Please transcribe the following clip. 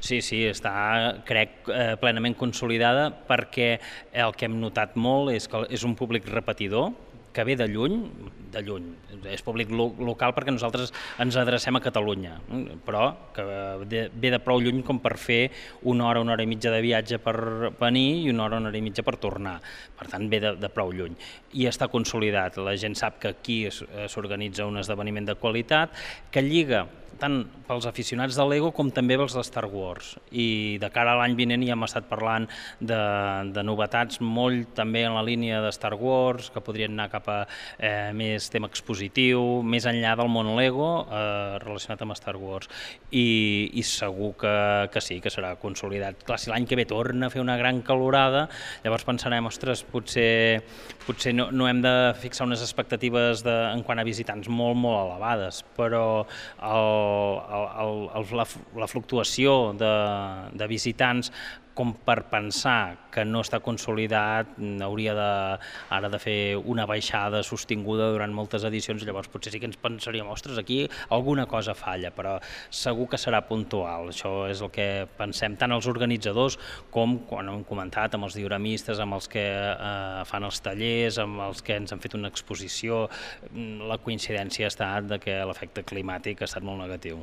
Sí, sí, està, crec, plenament consolidada perquè el que hem notat molt és que és un públic repetidor que ve de lluny, és públic local perquè nosaltres ens adrecem a Catalunya, però que ve de prou lluny com per fer una hora i mitja de viatge per venir i una hora i mitja per tornar, per tant ve de prou lluny. I està consolidat, la gent sap que aquí s'organitza un esdeveniment de qualitat que lliga tant pels aficionats de Lego com també pels de Star Wars, i de cara a l'any vinent ja hem estat parlant de novetats molt també en la línia de Star Wars, que podrien anar cap a més tema expositiu, més enllà del món Lego relacionat amb Star Wars, i segur que sí, que serà consolidat. Clar, si l'any que ve torna a fer una gran calorada, llavors pensarem, ostres, potser no hem de fixar unes expectatives en quant a visitants molt elevades, però la fluctuació de visitants com per pensar que no està consolidat hauria ara de fer una baixada sostinguda durant moltes edicions, llavors potser sí que ens pensaríem, ostres, aquí alguna cosa falla, però segur que serà puntual. Això és el que pensem tant els organitzadors com, quan hem comentat, amb els dioramistes, amb els que fan els tallers, amb els que ens han fet una exposició. La coincidència ha estat que l'efecte climàtic ha estat molt negatiu.